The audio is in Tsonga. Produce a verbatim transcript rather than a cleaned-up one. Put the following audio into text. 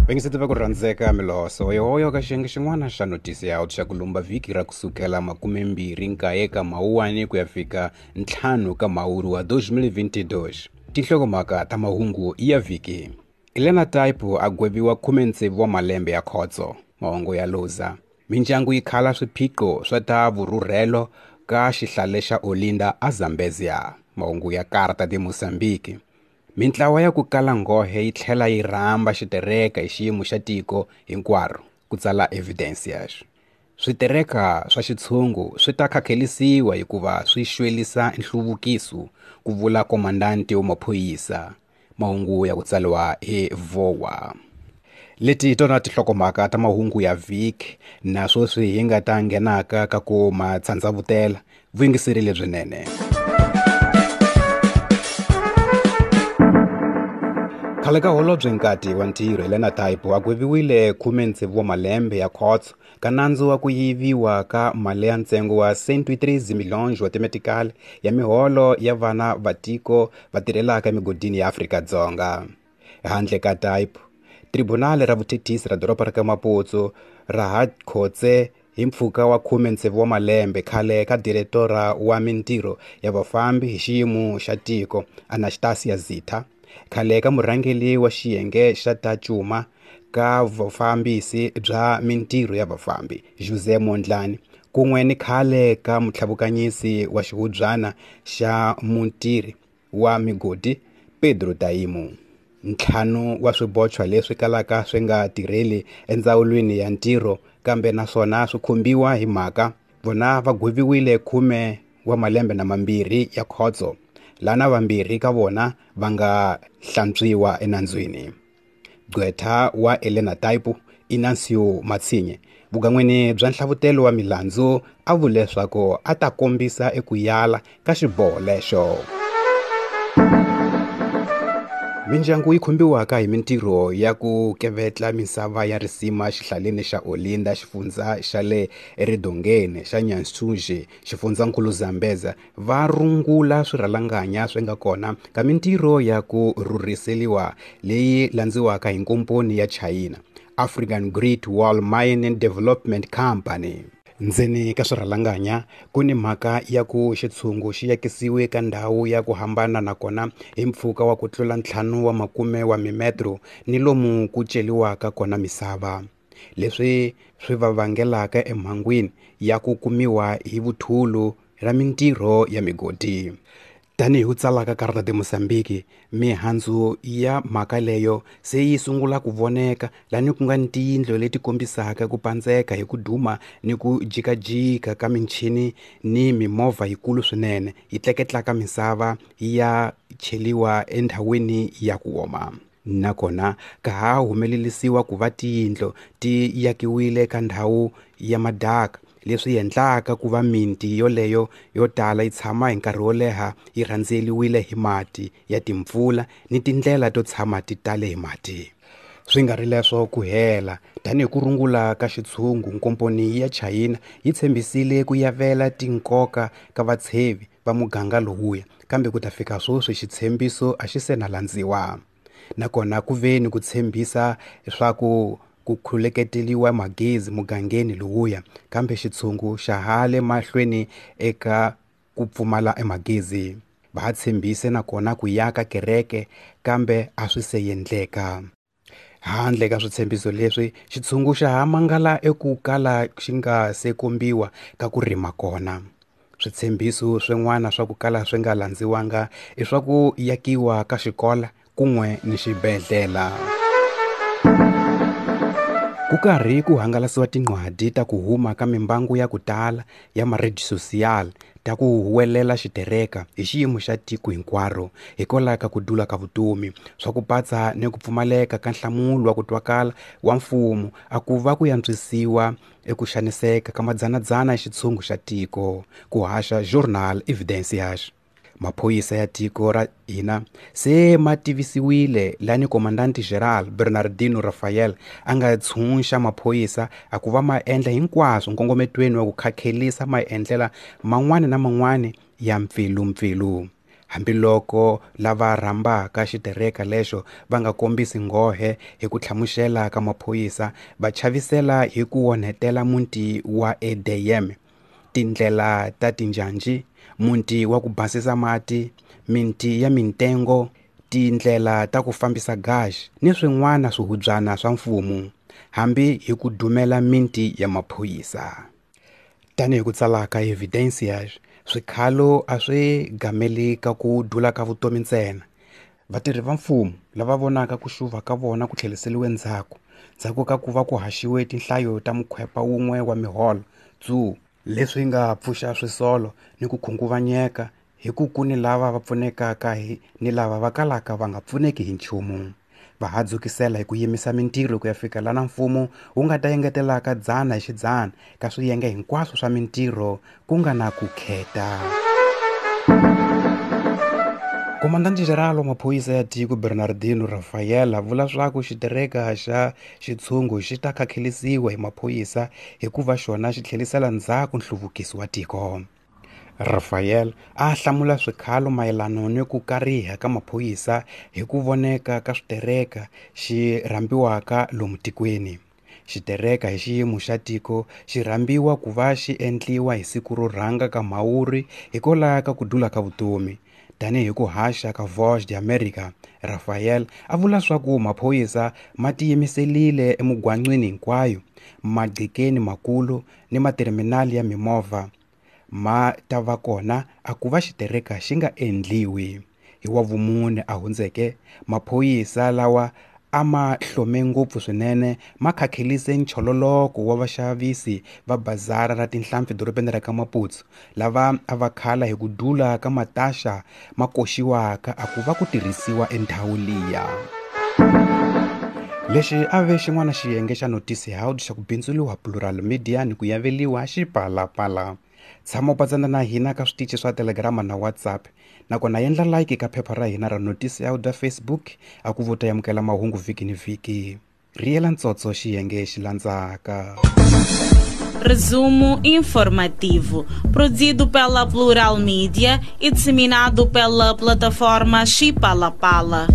Vayingiseti va ku rhandzeka miloso yohoyo ka xiyenge xin'wana xa notisi ya xa ku lumba vhiki ra kusukela makumembirhi nkaye ka mawuwani ku ya fika ntlhanu ka mhawuri wa twenty twenty-two. Tinhlokomhaka ta mahungu ya vhiki. Elena Taipo a gweviwa khume tsevu wa malembe ya khotso. Mahungu ya Loza. Mindyangu yi khala swiphiqo swa ta vurhurhelo ka xihlale xa Olinda a Zambezia. Mahungu ya Carta de Mozambique. Mintlawa ya ku kala nghohe yi tlhela yi rhamba xitereka hi xiyimo xa tiko hinkwaro ku tsala Evidencias. Switereka swa xitshungu swi ta khakhelisiwa hikuva swi xwelisa nhluvukiso, ku vula komandanti wa maphorisa. Mahungu ya ku tsariwa hi Vowa. Leti hi tona tinhlokomhaka ta mahungu ya vhiki na sweswi hi nga ta nghenaka ka ku ma tsandzavutela. Vuyingiseri lebyinene. Khale ka holobye nkati wa ntirho Elena Taipo a gweviwile khume tsevu wa malembe ya khotso ka nandzu wa ku yiviwa ka mali ya ntsengo wa cent treze milhões wa timetikali ya miholo ya vana va tiko va tirhelaka emigodini ya Afrika-Dzonga. Handle ka Taipo, tribunal ra vuthethisi ra doroba ra ka Maputo ra ha khotse hi mpfhuka wa khume tsevu wa malembe khale ka diretora wa mintirho ya vafambi hi xiyimo xa tiko Anastasia Zitha, khale ka murhangeri wa xiyenge xa ta cuma ka vufambisi bya mintirho ya vafambi José Mondlane, kun'we ni khale ka mutlhavukanyisi wa xihubyana xa mutirhi wa migodi Pedro Taimu. Ntlhanu wa swibochwa leswi kalaka swi nga tirheli endzawulweni ya ntirho kambe naswona swi khumbiwa hi mhaka vona va gweviwile khume wa malembe na mambirhi ya khotso, lana vambirhi ka vona va nga hlantswiwa enandzwini. Gqwetha wa Elena Taipo Inancio Matsinye vugan'wini bya nhlavutelo wa milandzu a vule leswaku a ta kombisa eku yala ka xiboho lexo. Mindyangu yi khumbiwaka hi mintirho ya ku kevetla misava ya risima xihlaleni xa Olinda, xifundza xa le eRidongeni xa Nyansuje, xifundzankulu Zambeza, va rungula swirhalanganya swi nga kona ka mintirho ya ku rhurhiseriwa leyi landziwaka hi nkomponi ya China, African Great Wall Mining Development Company. Ndzeni ka swirhalanganya ku ni mhaka ya ku xitshungu xi yakisiwe ka ndhawu ya ku hambana nakona hi mpfhuka wa ku tlula ntlhanu wa makume wa mimetro ni lomu ku celiwaka kona misava, leswi swi va vangelaka emhangwini ya ku kumiwa hi vuthulu ra mintirho ya migodi. Tanihi ku tsalaka Carta de Mozambique, mihandzu ya mhaka leyo se yi sungula ku voneka lani ku nga ni tiyindlu leti kombisaka ku pandzeka hi ku duma ni ku jikajika ka michini ni mimovha yikulu swinene yi tleketlaka misava ya cheliwa endhawini ya ku oma. Nakona ka ha humelerisiwa ku va tiyindlu ti yakiwile ka ndhawu ya madaka, leswi endlaka ku va miti yoleyo yo tala yi tshama hi nkarhi wo leha yi rhandzeliwile hi mati ya timpfula ni tindlela to tshama ti tale hi mati. Swi nga ri leswo ku hela, tanihi ku rungula ka xitshungu, nkomponi ya China yi tshembisile ku yavela tinkoka ka vatshevi va muganga lowuya, kambe ku ta fika sweswi xitshembiso a xi se na landziwa. Nakona ku ve ni ku tshembisa leswaku ku khuleketeliwa magezi mugangeni lowuya, kambe xitshungu xa ha le mahlweni eka ku pfumala emagezi. Va tshembise nakona ku yaka kereke, kambe a swi se endleka. Handle ka switshembiso leswi, xitshungu xa ha mangala eku kala xi nga se kombiwa ka ku rima kona. Switshembiso swin'wana swa ku kala swi nga landziwanga i swa ku yakiwa ka xikolo kun'we ni xibedhlele. Ku karhi ku hangalasiwa tinqwadi ta ku huma ka mimbangu ya ku tala ya ma-rede social ta ku huwelela xitereka hi xiyimo xa tiko hinkwaro hikwalaho ka ku dula ka vutomi, swa ku patsa ni ku pfumaleka ka nhlamulo wa ku twakala wa mfumo a ku va ku yantswisiwa eku xaniseka ka madzanadzana ya xitshungu xa tiko, ku haxa Journal Evidencias. Maphorisa ya tiko ra hina se ma tivisiwile lani Komandante General Bernardino Rafael a nga tshunxa maphorisa a ku va ma endla hinkwaswo nkongometweni wa ku khakhelisa maendlela man'wana na man'wana ya mpfilumpfilu. Hambiloko lava rhambaka xitereka lexo va nga kombisi nghohe hi ku hlamusela ka maphorisa, va chavisela hi ku onhetela muti wa E D M, tindlela ta tinjhanjhi, muti wa ku basisa mati, miti ya mitengo, tindlela ta ku fambisa gasi ni swin'wana swihubyana swa mfumo, hambi hi ku dumela miti ya maphorisa. Tanihi ku tsala ka Evidencias, swikhalo a swi gameli ka ku dula ka vutomi ntsena. Vatirhi va mfumo lava vonaka ku xuva ka vona ku tlheriseriwe ndzhaku, ndzhaku ka ku va ku haxiwe tinhlayo ta mukhwepa wun'we wa miholo tsu, leswi nga pfuxa swisolo ni ku khunguvanyeka hi ku ku ni lava va pfunekaka hi ni lava va kalaka va nga pfuneki hi nchumu. Va hadzukisela hi ku yimisa mintirho ku ya fika lana mfumo wu nga ta engetelaka dzana hi xidzana ka swiyenge hinkwaswo swa mintirho ku nga na ku kheta. Komandante-Geral wa maphorisa ya tiko Bernardino Rafael a vula swa ku xitereka xa xitshungu xi ta khakhelisiwa hi maphorisa hikuva xona xi tlherisela ndzhaku nhluvukiso wa tiko. Rafael a hlamula swikhalo mayelana ni ku kariha ka maphorisa hi ku voneka ka switereka xi rhambiwaka lomu tikweni. Xitereka hi xiyimo xa tiko xi rhambiwa ku va xi endliwa hi siku ro rhanga ka Mhawuri hikwalaho ka ku dula ka vutomi. Tanihi ku haxa ka Voz de América, Rafael a vula swa ku maphorisa ma tiyimiserile emigwaqweni hinkwayo, maqhikeni makulu ni materminali ya mimovha ma ta va kona a ku va xitereka xi nga endliwi. Hi wa vumune a hundzeke, maphorisa lawa a ma hlome ngopfu swinene ma khakhelise nchololoko wa vaxavisi va bazara ra tinhlampfi dorobeni ra ka Maputo, lava a va khala hi ku dula ka mataxa ma koxiwaka a ku va ku tirhisiwa endhawu liya. Lexi a ve xin'wana xiyenge xa Noticias xa ku bindzuriwa Plural Media ni ku yaveliwa Xipalapala. Tshama u patsana na hina ka switichi swa Telegram na WhatsApp, nakona endla like ka phepha ra hina ra Noticias da Facebook a ku vota yamukela mahungu vhiki ni vhiki. Riyela ntsotso xiyenge xi landzaka. Resumo informativo, produzido pela Plural Media e disseminado pela plataforma Xipalapala.